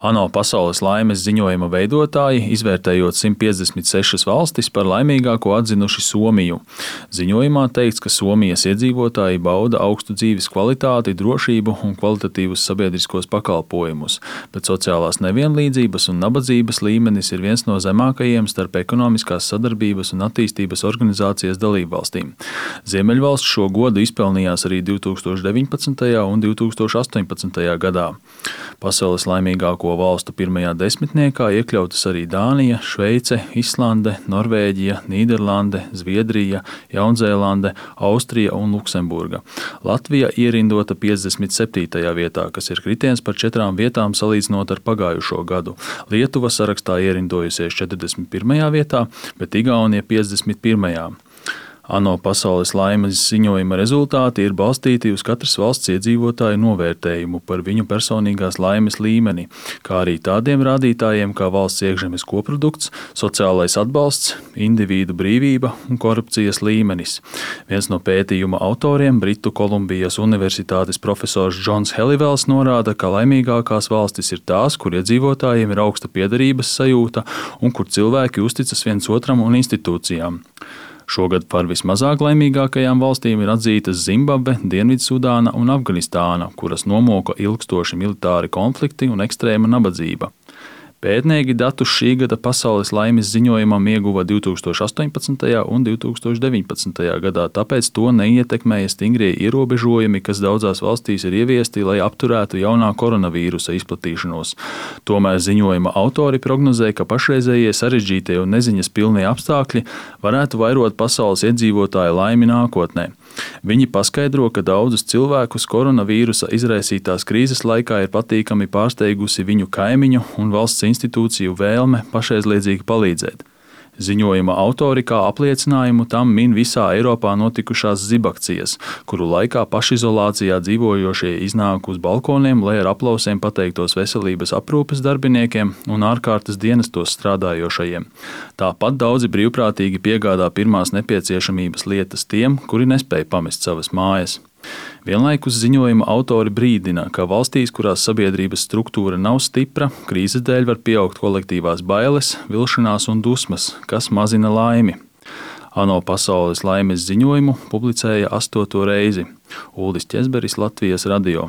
ANO pasaules laimes ziņojuma veidotāji, izvērtējot 156 valstis, par laimīgāko atzinuši Somiju. Ziņojumā teikts, ka Somijas iedzīvotāji bauda augstu dzīves kvalitāti, drošību un kvalitatīvus sabiedriskos pakalpojumus, bet sociālās nevienlīdzības un nabadzības līmenis ir viens no zemākajiem starp ekonomiskās sadarbības un attīstības organizācijas dalībvalstīm. Ziemeļvalsts šo godu izpelnījās arī 2019. un 2018. gadā. Pasaules laimīgāko valstu pirmajā desmitniekā iekļautas arī Dānija, Šveice, Islande, Norvēģija, Nīderlande, Zviedrija, Jaunzēlande, Austrija un Luksemburga. Latvija ierindota 57. vietā, kas ir kritiens par 4 vietām salīdzinot ar pagājušo gadu. Lietuva sarakstā ierindojusies 41. vietā, bet Igaunija 51. ANO pasaules laimes ziņojuma rezultāti ir balstīti uz katras valsts iedzīvotāju novērtējumu par viņu personīgās laimes līmeni, kā arī tādiem rādītājiem kā valsts iekšzemes koprodukts, sociālais atbalsts, individu brīvība un korupcijas līmenis. Viens no pētījuma autoriem, Britu Kolumbijas Universitātes profesors Džons Helivels, norāda, ka laimīgākās valstis ir tās, kur iedzīvotājiem ir augsta piederības sajūta un kur cilvēki uzticas viens otram un institūcijām. Šogad par vismazāk laimīgākajām valstīm ir atzītas Zimbabve, Dienvidsudāna un Afganistāna, kuras nomoka ilgstoši militāri konflikti un ekstrēma nabadzība. Pētnieki datus šī gada pasaules laimes ziņojumam ieguva 2018. un 2019. gadā, tāpēc to neietekmēja stingrie ierobežojumi, kas daudzās valstīs ir ieviesti, lai apturētu jaunā koronavīrusa izplatīšanos. Tomēr ziņojuma autori prognozē, ka pašreizējie sarežģītie un neziņas pilnie apstākļi varētu vairot pasaules iedzīvotāju laimi nākotnē. Viņi paskaidro, ka daudzus cilvēkus koronavīrusa izraisītās krīzes laikā ir patīkami pārsteigusi viņu kaimiņu un valsts institūciju vēlme pašaizliedzīgi palīdzēt. Ziņojuma autori kā apliecinājumu tam min visā Eiropā notikušās zibakcijas, kuru laikā pašizolācijā dzīvojošie iznāk uz balkoniem, lai ar aplausiem pateiktos veselības aprūpes darbiniekiem un ārkārtas dienestos strādājošajiem. Tāpat daudzi brīvprātīgi piegādā pirmās nepieciešamības lietas tiem, kuri nespēja pamest savas mājas. Vienlaikus ziņojuma autori brīdina, ka valstīs, kurās sabiedrības struktūra nav stipra, krīzes dēļ var pieaugt kolektīvās bailes, vilšanās un dusmas, kas mazina laimi. ANO pasaules laimes ziņojumu publicēja 8. reizi. Uldis Ķezberis, Latvijas radio.